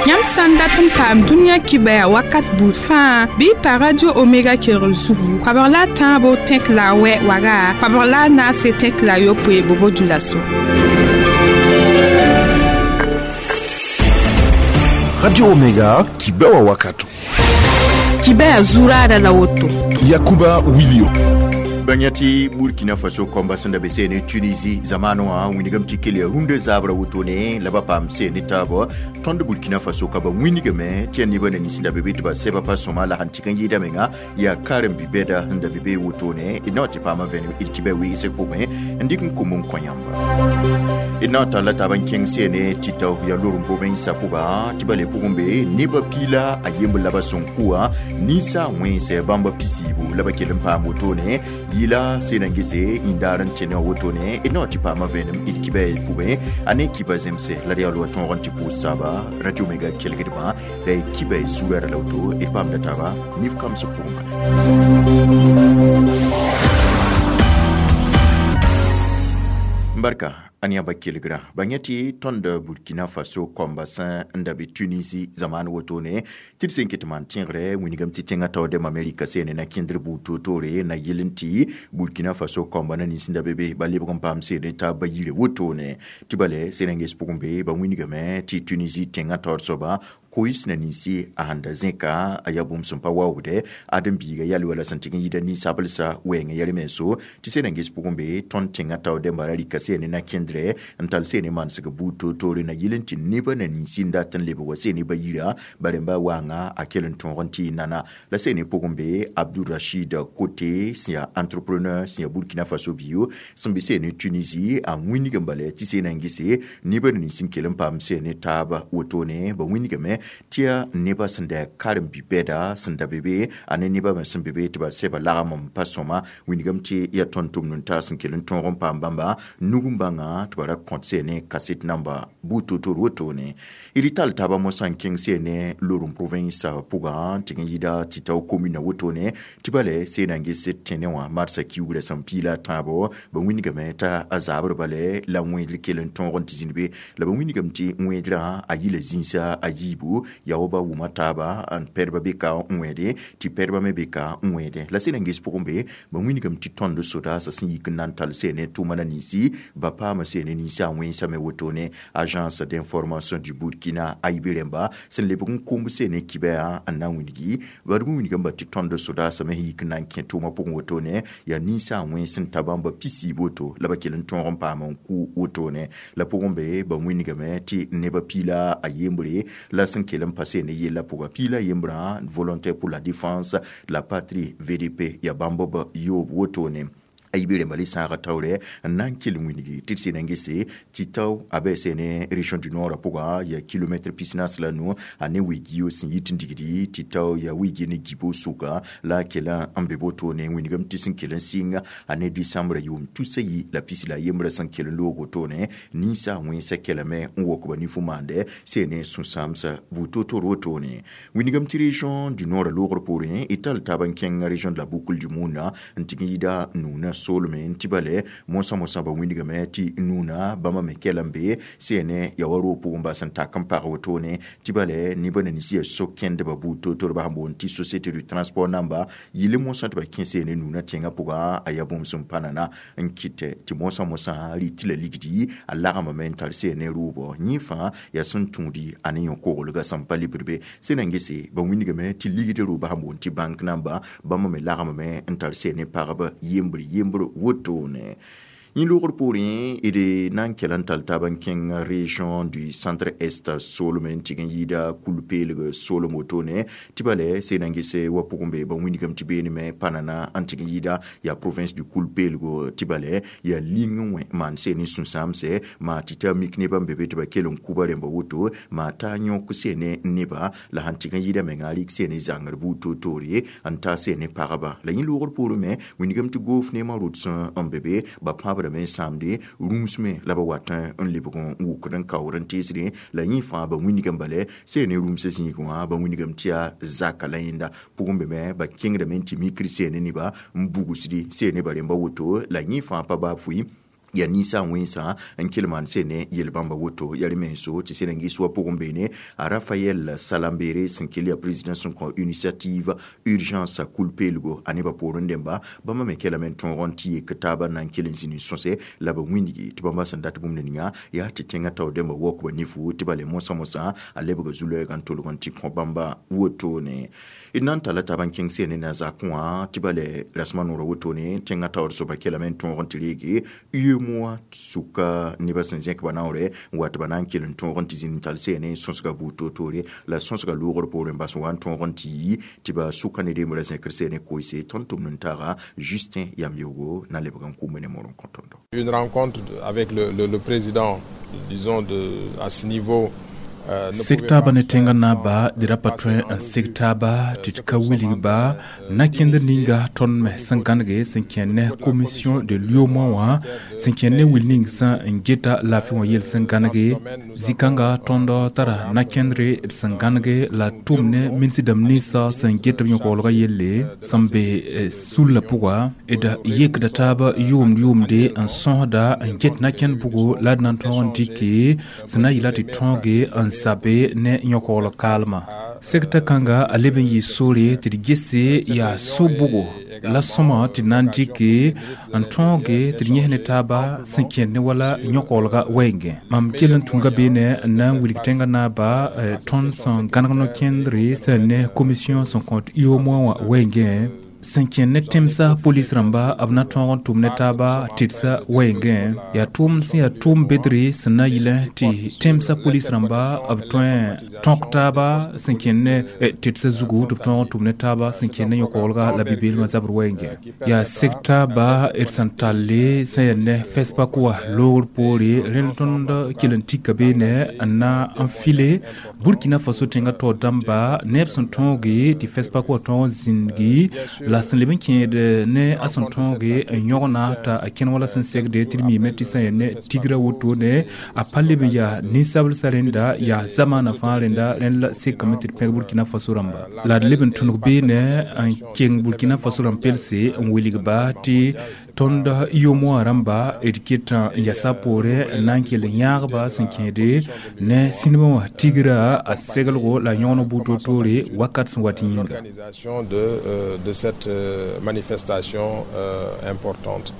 Yãmb sã n dat n paam dũniyã kibaya wakat buud fãa bɩ y pa Radio Omega kelgr zugu koabg la a tãabo tẽk la a wɛ waga koabg la a naase tẽk la a yopoe bobo dulaso. Radio Omega kibewa wakato. Kibaya zuraada la woto. Yakuba Wilio. Bãng tɩ Burkina Faso kõmba sẽn da be seene Tunisie zamaanẽ wã wĩnigame tɩ kell yaa rũndã zaabra wotone la ba paam seene taabã tõnd Burkina Faso ka ba wĩnigame tɩ yaa nebã na nins da be be tɩ ba sɛba pa sõma la sẽn tɩk n yɩɩda menga yaa karen-bi-bɛda sẽn da be be wotone d na wa tɩ paamã vẽenem d kibã weesg pʋgẽ n dɩk n kom n kõ yãmba d na n talla taab n kẽng seene tɩ tao yaa lorem provinsa pʋga tɩ ba le pʋgẽ be nebã piila a yembr la ba sõn kʋa ninsa wẽnsɛ bãmba pisiibu la ba kell n paam wotone yɩla sẽn na n gese yĩndaar n tẽne wã wotone d na wa tɩ paamã vẽenem d kibã pʋgẽ a ne kiba zemse la d yaa loa tõog n tɩ pʋʋs saaba Radio Mega kelgdbã la y kiba zugã ra la woto d paamda taaba nif kamsg pʋgẽ bala. Barka an yãmba kelgra ba yẽ tɩ tõnd Burkina Faso kõmba sẽn n da be Tunisie zamaan wotone tɩ d sẽn ket maan tẽegre wĩnigame tɩ tẽngã taoor dɛm Amerika seene na kẽndr buud toor-toore na yɩl n tɩ Burkina Faso kõmba na nins n da be be ba lebg n paam seene taab ba yire wotone tɩ bale sẽn na n ges pʋgẽ be ba wĩnigame tɩ Tunisie tẽngã taoor soaba kois na ninsi a sẽn da zẽka a yaa bũmb sẽn pa waoogdɛ ãdem-biiga yal wala sẽn tɩg n yɩɩda ninsablsa wɛɛngã yɛl menso tɩ sẽn na n ges pʋgẽ be tõnd tẽngã taoor dẽmba ra rɩka seene na kẽndrɛ n tall seene manesg buud toor-toore na yɩl n tɩ nebã na ninsi n dat n lebg wa seene ba yira ba rẽmba waanga a kell n tõog n tɩ y nana la seene pʋgẽ be Abdourachid Kote sẽn yaa entrepreneur sẽn yaa Burkina Faso bio sẽn be seene Tunisie a wĩnig n bala tɩ sẽn na n gese nebã na nins n kell n paam seene taaba wotone ba wĩnigame tɩ yaa nebã sẽn da karen-bi-bɛda sẽn da be be a ne nebã me sẽn be be tɩ ba sɛba lagm n pa sõma wĩnigame tɩ yaa tõnd tʋmd n taas n kell n tõog n paam bãmba nug n bãnga tɩ ba ra kõt seene kaset namba buud toor-toor wotone d tall taabã mosã n kẽng seene lorem province pʋgã tɩg n yɩɩda tɩ tao commune wotone tɩ ba lɛ seen na n ges tẽne wã marsã kiugrã sẽn piila a tãabo ba wĩnigame t'a a zaabr bale la wẽedr kell n tõog n tɩ zĩnd be la ba wĩnigame tɩ wẽedrã a yɩla zĩnsa a yiibu yaa wa ba wʋma taaba n pɛdba be ka n wẽede tɩ pɛdba me be ka n wẽede la sẽn na n ges pʋgẽ be ba wĩnigame tɩ tõnd sodaasã sẽn yik n na n tall seene tʋʋma na ninsi ba paama seene ninsa a wẽnsame wotone Agence d'information du Burkina AIB rẽmba sẽn lebg n komb seene kibɛa n na n wĩnigi ba d wĩnigame ba tɩ tõnd sodaasã me sẽn yik n na n kẽ tʋʋmã pʋgẽ wotone yaa ninsa a wẽns n ta bãmba pisiib woto la ba kell n tõog n paam n kʋ wotone la pʋgẽ be ba wĩnigame tɩ nebã piila a yembre la sẽn kell n pa seene yella pʋga piila yembrã Volontaire pour la défense de la patrie VDP yaa bãmb b yoob wotone a yibe rẽmba le sãaga taoorɛ n na n kell wĩnigi tɩ d sẽn na n gese tɩ tao a bɩ seene région du Nord pʋga yaa kilomɛtr pisnaas la nu a ne wɩ-gio sẽn yit n digdi tɩ tao yaa wɩ-gi ne gibo sʋka la a kell n be wotone wĩnigame tɩ sẽn kell n sɩng a ne décembre yʋʋm tusa yi la pis la yembrã sẽn kell n loog wotone ninsa wẽnsa kɛlame n wok ba nifo maandɛ seene sũ-sãamsa buud toor-toor wotone wĩnigame tɩ région du Nord loogr poorẽ d tall taab n kẽng région de la Boucle du Mount n tɩg n yɩɩda nuunã solme n tɩ bale mosã mosã ba wĩnigame tɩ nuunã bãmba me kɛl n be seene yaa wa roog pʋgẽ bas n tak n pag wotone tɩ bale nebã na nins yaa so-kẽndbã buud toor-toor ba sẽn boond tɩ Société du transport namba yɩl mosã tɩ ba kẽ seene nuunã tẽngã pʋga a yaa bũmb sẽn pa nana n kɩtɛ tɩ mosã mosã rɩ tɩ la ligdi a lagmame n tar seene rʋʋbɔ yẽ fãa yaa sẽn tũudi a ne yõ-koglgã sẽn pa lebd be sẽn na n gese ba wĩnigame tɩ ligd rʋʋbã sẽn boond tɩ bank namba bãmba me lagmame n tar seene pagb yembr yembr wotone yẽ loogr poorẽ d na n kell n tall taab n kẽng région du Centre Est solem n tɩg n yɩɩda kul-peelg solem wotone tɩ bale sẽn na n gese wa pʋgẽ be ba wĩnigame tɩ beename pa nana n tɩg n yɩɩda yaa province du kul-peelgo tɩ bale yaa ling n wẽ maan seen n sũ-sãamsɛ maa tɩ t'a mik nebã n be be tɩ ba kell n kuba rẽmba woto maa t'a yõk seene neba la sẽn tɩg n yɩɩda menga rɩk seene zãngr buud toor-toore n ta seene pagba la yẽ loogr poorẽ me wĩnigame tɩ goof neemã rʋd sẽn n be be ba pãbra me n sãamde rũms me la ba wat n lebg n wʋkd n kaood n teesdẽ la yẽ fãa ba wĩnigame bale seene rũmsã zĩig wã ba wĩnigame tɩ yaa zaka la yẽnda pʋgẽ be me ba kẽngdame n tɩ mikr seene neba n bugsdi seene ba rẽmba woto la yẽ fãa pa baa fʋɩ. Ya ninsa wẽnsã n kell maan sene yel-bãmba woto yaa menso tɩ sẽn n gɩs wa pʋgẽ beene a Rafael Salambere sẽn kell yaa président sẽn kõ initiative urgence kul-peelgo a nebã poorẽ dẽmba bãmba me kelame n tõog n tɩ yek taabã na n kell n zĩni sõse la ba wĩndgi tɩ bãmba sẽn dat bũmb ninga yaa tɩ tẽngã tao dẽmba waook ba nifu tɩ ba le mosã mosã a lebga zu-loɛɛgã n tolg n tɩ kõ bãmba wotone. D na n talla taab n kẽng sene na zakẽ wã tɩ ba le rasmã noorã wotone tẽngã taoor soaba kelame n tõog n tɩ reege UEMOA sʋka nebã sẽn zẽk ba naoore n wa tɩ ba na n kell n tõog n tɩ zĩnd n tall seene sõsga buud toor-toore la sõsga loogr poorẽ bas wa n tõog n tɩ yi tɩ ba sʋka ne rembrã zẽkr seene koeese tõnd tʋmd n taaga Justin Yamyogo na lebg n kʋme ne mor n kõ tõndo. Une rencontre avec le président, disons, à ce niveau. Seg taaba ne tẽngã naaba d ra pa tõe n seg taaba tɩ d ka wilg ba na-kẽndr ninga tõnd me sẽn gãnege sẽn kẽ ne commission de l'UEMOA wã sẽn kẽ ne wil ning sẽn n geta laafɩ wã yel sẽn gãnege zĩ-kãnga tõnd tara na-kẽndre d sẽn gãnege la tʋm ne ministr dãmb ninsã sẽn get b yõ-koglgã yelle sẽn be sullã pʋga d yekda taab yʋʋmd yʋʋmde n sõsda n get na-kẽnd bʋgo la d na n tõog n dɩke sẽn na n yɩla tɩ tõoge n zabe ne yõ-kogl kaalmã segta kãnga a leb n yɩ sore tɩ d gese yaa so-bʋgo la sõma tɩ d na n dɩke n tõoge tɩ d yẽs ne taaba sẽn kẽnd ne wala yõ-koglga wɛɛngẽ mam kell n tũnga beene n na n wilg tẽngã naaba tõnd sẽn gãneg no-kẽndre sẽn ne commission sẽn kõt UEMOA wã wɛɛngẽ sẽn kẽnd ne tẽmsa polis rãmba b na tõog n tʋm ne taaba tɩdsa wɛɛngẽ yaa tʋʋm sẽn yaa tʋʋm bedre sẽn na yɩlẽ tɩ tẽmsã polis rãmba b tõe tõk taaba sẽn kẽnd ne tɩdsa zugu tɩ b tõog n tʋm ne taaba sẽn kẽnd ne yõ-koglga la bi-beelmã zabr wɛɛngẽ yaa seg taaba d sẽn talle sẽn yaa ne FESPACO wa loogr poore rẽnd tõnd kell n tika beene n na n file Burkina Faso tẽngã taoor dãmba neb sẽn tõoge tɩ FESPACO wa tõog n zĩndgi la sẽn leb n kẽed ne a sẽn tõoge n yõgna t'a a kẽn wala sẽn segde tɩ d miime tɩ sẽn yaa ne tigra wotone a pa leb n yaa ninsablsã rẽnda yaa zamaanã fãa rẽnda rẽnd la sekame tɩ d pẽg Burkina Faso rãmba la d leb n tũnug beene n keng Burkina Faso rãmb pelse n wilg ba tɩ tõnd UEMOA rãmba d ket n yasa poorẽ n na n kell n yãagba sẽn kẽede ne sĩnbã wã tigra a seglgo la yõgen buud toor-toore wakat sẽn wat yĩnga. De cette manifestation importante.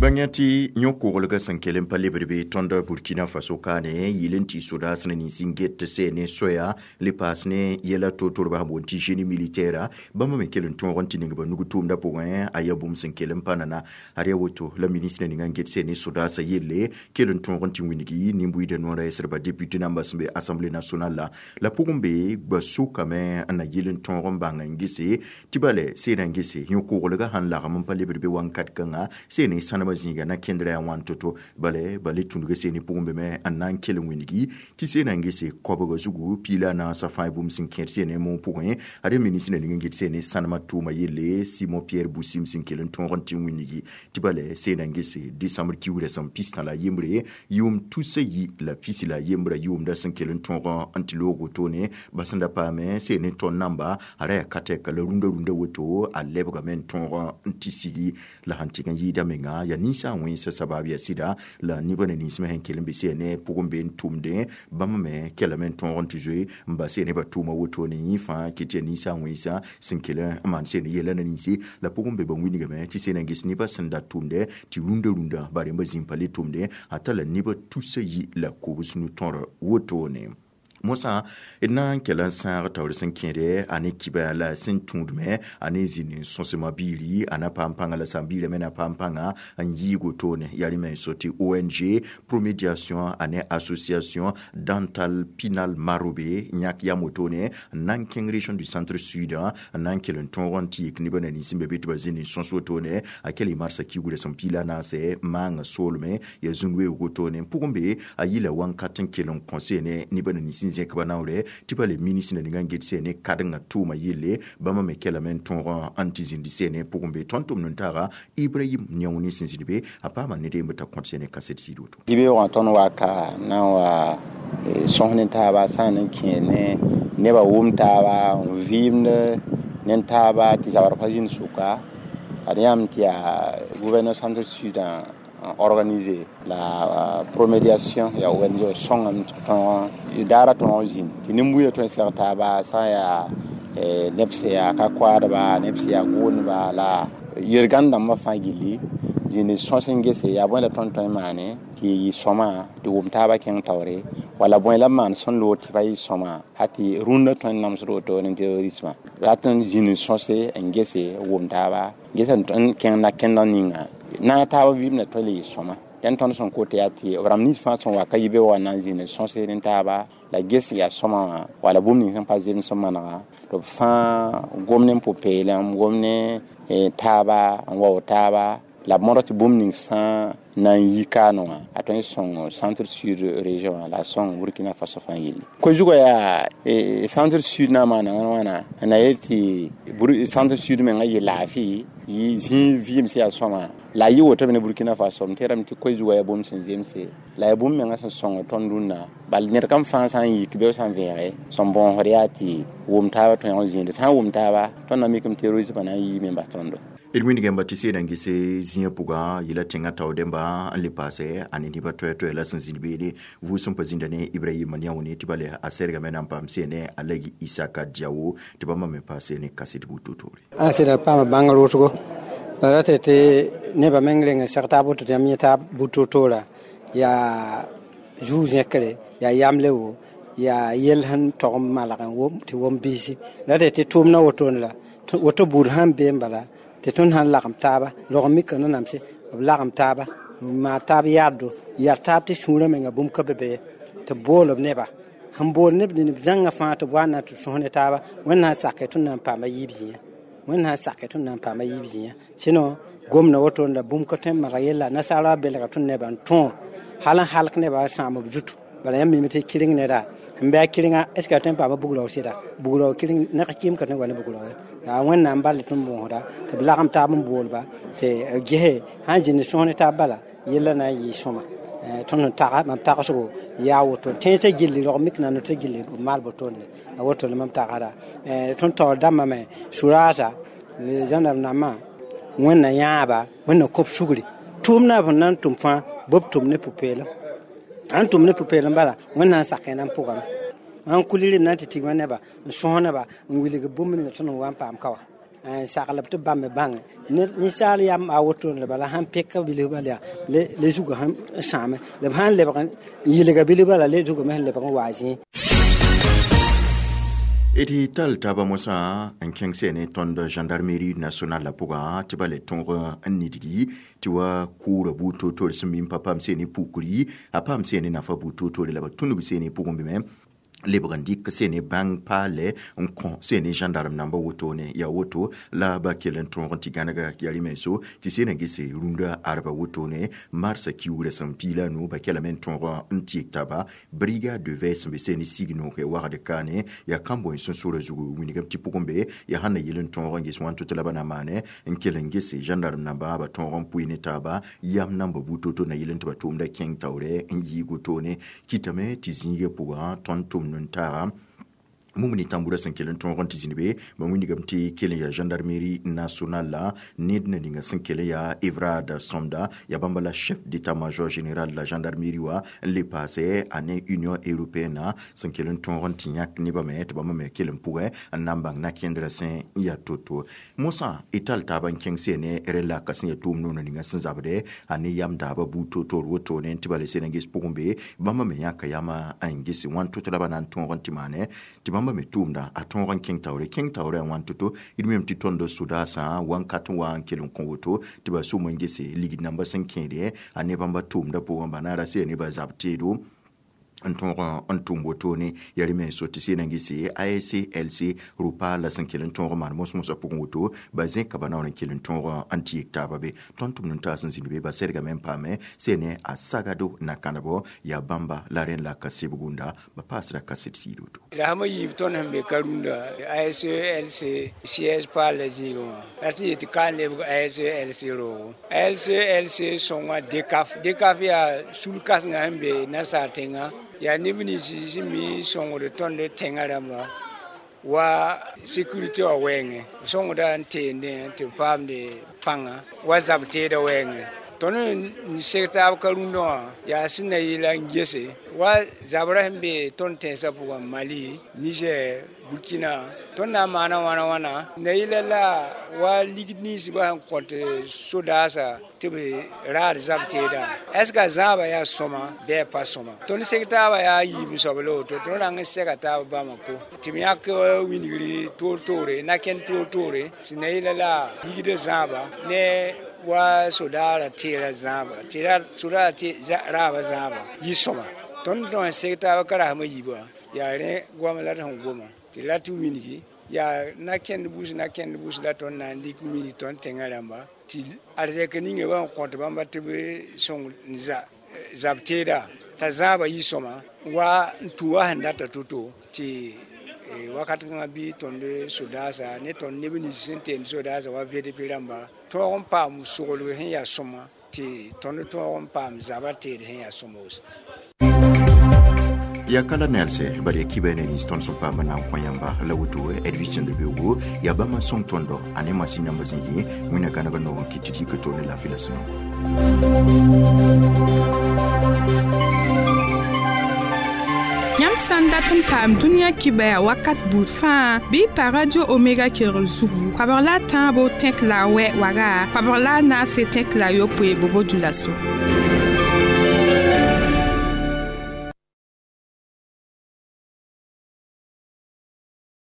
Bãng tɩ yõ-koglgã sẽn kell n pa lebd be tõnd Burkina Faso kaane yɩl n tɩ sodaas ne nins n get seene soya le paas ne yɛla toor-toor sẽn boond tɩ génie militaire bãmba me kell n tõog n tɩ ning ba nug tʋʋmdã pʋgẽ a yaa bũmb sẽn kell n pa nana ad yaa woto la ministre ninga n get seene sodaasã yelle kell n tõog n tɩ wĩngi nin-buiidã noorã yɛsdba député namba sẽn be assemblée nationale la pʋgẽ be gba sʋkame n na yɩl n tõog n bãng n gese tɩ bale seedã n gese yõ-koglgã sãn lagem n pa lebd be wãnkat kãnga seene sãnem zĩiga na kẽndrã yaa wãn to-to bale bale tũndga seene pʋgẽ be me n na n kell n wĩngi tɩ seena n gese koabga zugu piila a naasã fãa bũmb sẽn kẽed seene moog pʋgẽ ad ministre ning n get seene sãnemã tʋʋma yelle Simon Pierre Boussim sẽn kell n tõog n tɩ wĩngi tɩ bale seena n gese décembre kiugrã sẽn pistã la yembre yʋʋm tusa yi la pisi la yembra yʋʋmda sẽn kell n tõog n tɩ loog wotone ba sẽn da paame seene tõnd namba a ra yaa ka tɛka la rũndã rũndã woto a lebgame n tõog n tɩ sigi la sãn tɩg n yɩɩda menga yaa ninsã wẽnsa sabab yaa sɩda la nebã ne nins me sẽn kell n be seene pʋgẽ be n tʋmdẽ bãmb me kellame n tõog n tɩ zoe n bas nebã tʋʋma wotone yẽ fãa ket yaa ninsã wẽnsa sẽn kell n maan seen yɛla na ninse la pʋgẽ be ba wĩnigame tɩ seen n ges nebã sẽn da tʋmdɛ tɩ rũndã rũndã ba rẽmba zĩm pa le tʋmdẽ a tala nebã tusa yi la kobs nu-tõr wotone. Mosã d na n kell n sãag taoor sẽn kẽede a ne kiba la sẽn tũudme a ne zĩnd n sõsema biiri a na paam pãnga la sãn-biirã me na paam pãnga n yɩɩg wotone yaa rẽ me n so tɩ ONG Promédiation a ne association Dental Pinal Marobe yãk yam wotone n na n kẽng région du centre sud n na n kell n tõog n tɩ yik nebã na nins n be be tɩ ba zĩnd n sõs wotone a kell y marsã kiugrã sẽn piila naase maanga soolme yaa zũn weoog wotone n pʋgẽ be a yɩla wãnkat n kell n kõ seene nebã na nins n zẽk ba naoore tɩ pa le ministre ninga n get seene kadengã tʋʋma yelle bãmba me kellame n tõog n tɩ zĩnd seene pʋgẽ be tõnd tʋmd n taaga Ibrahim Niaouni sẽn zĩnd be a paama ned yembr t'a kõt seene kaset sɩd woto. Dɩ-beoogã tõnd wa ka na n wa sõs ne taaba sã n kẽ ne nebã wʋm taaba n vɩɩmd ne taaba tɩ zabr pa zĩnd sʋka Ad yãmb tɩ yaa gouverneur centre sud organisé la promédiation ya ONG sõngame tɩ tõog daara tõog zĩnd tɩ nin-buiidã tõe n seg taaba sã n yaa neb sẽn yaa ka-koaadba, neb sẽn yaa gʋʋneba la yel-gãnd dãmbã fãa gilli zĩnd sõs n gese yaa bõe la tõnd tõe n maane tɩ yɩ sõma tɩ wʋm taabã kẽng taoore, wala bõe la b maan sẽn loog tɩ pa yɩ sõma ha tɩ rũndã tõe n namsd woto ne terrorismã. Rat n zĩnd sõse n gese wʋm taaba gesa n kẽng na-kẽndg ninga naag taab vɩɩm tõe le yɩ sõma. Dẽn tõnd sẽn kot yaa tɩ b rãmb nins fãa sẽn wa ka yi be wa na n zĩnd sõse ne taaba la ges yaa sõma wã wala bũmb ning sẽn pa zems sẽn manega tɩ b fãa gom ne pʋ-peelem, gom ne taaba n wao taaba la b mõdg tɩ bũmb ning sã na n yi kaanẽ wã a tõe n sõng centre sud région wã la a sõng Burkina Faso fãa yelle. Koe-zugã yaa centre sud na n maana wãna wãna na yel tɩ centre sud mengã yɩ laafɩ yɩ zĩig vɩɩm sẽn yaa sõma la a yɩ woto me ne Burkina Faso. M tẽedame tɩ koe-zugã yaa bũmb sẽn zemse la yaa bũmb mengã sẽn sõng tõnd rũnnã. Bal ned kam fãa sã n yik be sã n vẽege sẽn bõosd yaa tɩ wʋm taabã tõe n zĩinde sã n wʋm taaba tõnd na mikame terrorismã na n yiime n bas tõndo. D wĩnigame tɩ seedã n gese zĩiga pʋgã yela tẽngã tao dẽmba n le paase a ne nebã toɛ-toɛ la sẽn zĩnd beene vʋʋsem pa zĩnda ne Ibrahima Niaone tɩ ba le a sɛrgame na n paam seene a la Isaka Diawo tɩ bãmba me paase ne kaset buto-toore. A sɩda paama bãng rʋsgo la ra tɩ tɩ nebã meng reng n seg taab woto tɩ yãmb yẽ taab buto-toora yaa zuu-zẽkre, yaa yamle wo, yaa yell sẽn tog n malg n wom tɩ wom biisi la tɩ tɩ tʋʋmdã wotone la woto buud sãn bee n bala tɩ tõnd sãn lagem taaba rog mika nanamse b lagem taaba n maan taab yaaddo yar taab tɩ sũurã menga bũmb ka be be tɩ b bool b neba sẽn bool neb neb zãngã fãa tɩ b wa na tɩ sõs ne taaba Wẽnd sãn sake tõnd na n paama yiib zĩiga, Wẽnd sãn sake tõnd na n paama yiib zĩiga. Sɩno gomda woto la bũmb ka tõe n maneg yella nasaara belga tõnd nebã n tõo hal n halk nebã sãam b zutu. Bala yãmb mime tɩ kɩreng neda n bɩ a kɩrenga est ce que a tõe n paama bugrao sɩda bugrao kɩreng neg kɩɩm ka tõe n wa ne bugrao ye. Yaa Wẽnnaam bal tõnd bõosda tɩ b lagem taab n boolba tɩ gese sãn zĩnd sõs ne taab bala yella na n yɩ sõma. Tõnd sẽn taga mam tagsgo yaa woto tẽnsã gilli rog mik na tɩ gilli b maal botone a woto la mam tagsda. Tõnd taoor dãmbã me suraasa zãnab nambã Wẽnna yãaba Wẽnna kõb sugri tʋʋmdã b sẽn na n tʋm fãa b tʋm ne pʋ-peelem sãn tʋm ne pʋ-peelem bala Wẽnna n sak yẽna n pʋgame. Mam kulir n na n tɩ tigma neba n sõs neba n wilg bũmb ninga tõnd n wa n paam ka wa n saglb tɩ b bãmb me bãnge ninsaal yam a wotone la bala sãn peka bilf bala yaa le zugã sẽn sãame la b sãn lebg n yilga bilf bala le zugame sẽn lebg n waa zĩig. D tall taaba mosã n kẽng seene tõnd gendarmerie nationale la pʋgã tɩ ba le tõog n nidgi tɩ wa kʋʋra buud toor-toor sẽn mim pa paam seene pukri a paam seene nafa buud toor-toore la ba tũnug seene pʋgẽ bɩ me lebg n dɩk seene bãng paale n kõ seene gendarme namba wotone yaa woto la ba kell n tõog n tɩ gãnega yaa rɩ-menso tɩ seena gese rũndã arba wotone marsã kiugrã sẽn piila nu ba kelame n tõog n tɩk taaba brigade de veille sẽn be seene sig noog wagd kaane yaa kãn-bõe sũ-sʋrã zugu wilgame tɩ pʋgẽ be yaa sãn na yel n tõog n ges wãn tʋ tɩ la ba na maane n kell n gese gendarme namba ba tõog n pʋɩ ne taaba yam namba buud to-to na yel n tɩ ba tʋʋmda kẽng taoorɛ n yɩɩg wotone kɩtame tɩ zĩigã pʋgã tõnd tʋmd n taaga mumuni tambura sẽn kell n tõog n tɩ zĩnd be ba wĩnigame tɩ kell n yaa gendarmerie nationale la ned na ninga sẽn kell n yaa Evrard Somda yaa bãmba la chef d'état-major général la gendarmerie wã n le paase a ne Union européenne sẽn kell n tõog n tɩ yãk nebã me tɩ bãmba me kell n pʋgẽ n na n bãng na-kẽndrã sẽn n yaa to-to mosã y tall taaba n kẽng seene rẽ laka sẽn yaa tʋʋm noona ninga sẽn zabde a ne yam daaba buud to-toor wotone tɩ ba le sẽn n ges pʋgẽ be bãmba me yãka yama n gese wãn to-to la ba na n tõog n tɩ maane tɩ bãmba me tʋʋmda a tõog n kẽng taoore kẽng taoorã wãn to-to d mem tɩ tõnd sodaasã wãnkat n wa n kell n kõ woto tɩ ba sʋm n gese ligd namba sẽn kẽede a ne bãmba tʋʋmda pʋgẽ ba na ra sẽn ne ba zab teedo n tõog n tʋm wotone yaa rẽ menso tɩ sẽn na n gese ASLC rʋpa la sẽn kell n tõog n maan mos-mosã pʋgẽ woto ba zẽka ba naoor n kell n tõog n tɩ yek taaba be tõnd tʋmd n taas n zĩnd be ba sɛrgame n paame sẽne a sagado na kãnebo yaa bãmba la rẽnd la ka sebgunda ba paasda kaset sɩɩd woto. La sã yiib tõnd sẽn be ka-rũndã ASLC siège paal la zĩigẽ wã la tɩ yetɩ ka n lebg ASLC roogo ASLC sõnga DCAF. DCAF yaa sul-kãsengã sẽn be nasaar tẽngã yaa neb nins sẽn mi sõngd tõnd tẽngã rãmba. Wa sécurité wã wɛɛngẽ b sõngda n teendẽ tɩ b paamde pãnga wa zab teedã wɛɛngẽ. Tõnd n seg taab ka rũndã wã yaa sẽn na yɩla n gese wa zabrã sẽn be tõnd tẽnsã pʋgã, Mali, Niger, Burkina. Tõnd na n maana wãna wãna na yɩla la wa ligd ninsbã sẽn kõt sodaasã tɩ b raad zab teeda, est ce que a zãaba yaa sõma bɩ a pa sõma? Tõnd seg taabã yaa yiib soab la woto. Tõnd rãng n sega taab Bamako tɩ b yãk wingri toor-toore, na-kẽnd toor-toore sẽn na yɩla la ligdã zãaba ne wa sodaara teera zãaba, tɩ sodaara raaba zãaba yɩ sõma. Tõnd tõe n seg taab ka rasmã yiibã, yaa rẽ goam la d sẽn goma tɩ la tɩ wilgi yaa na-kẽnd bus, na-kẽnd bus la tõnd na n dɩk wilg tõnd tẽngã rãmba tɩ arzɛk ninga bã n kõt bãmba tɩ b sõng n zab teeda t'a zãaba yɩ sõma wa n tũ wa sẽn data to-to tɩ wakat kãngã bɩ tõnd sodaasa ne tõnd neb nins sẽn teend sodaasa wa VDP rãmba tõog n paam soglg sẽn yaa sõma tɩ tõnd tõog n paam zabã teed sẽn yaa sõmos. Ya kala nelse bari ya kiba ne nins tõnd sẽn paam na n kõ yãmba la woto. Edwige Cẽndr-Beoogo yaa bãmb n sõng tõndo a ne masin yãmb zĩigi. Wẽnna kãneg n noog n kɩt tɩ d yika to ne laafɩ la sũ-noog. Yãmb sã n dat n paam dũniyã kibaya wakat buud fãa, bɩ y pa Radio Omega kelgr zugu koabg la a tãabo tẽk la a wɛ waga koabg la a naase tẽk la a yopoe bobo dulaso.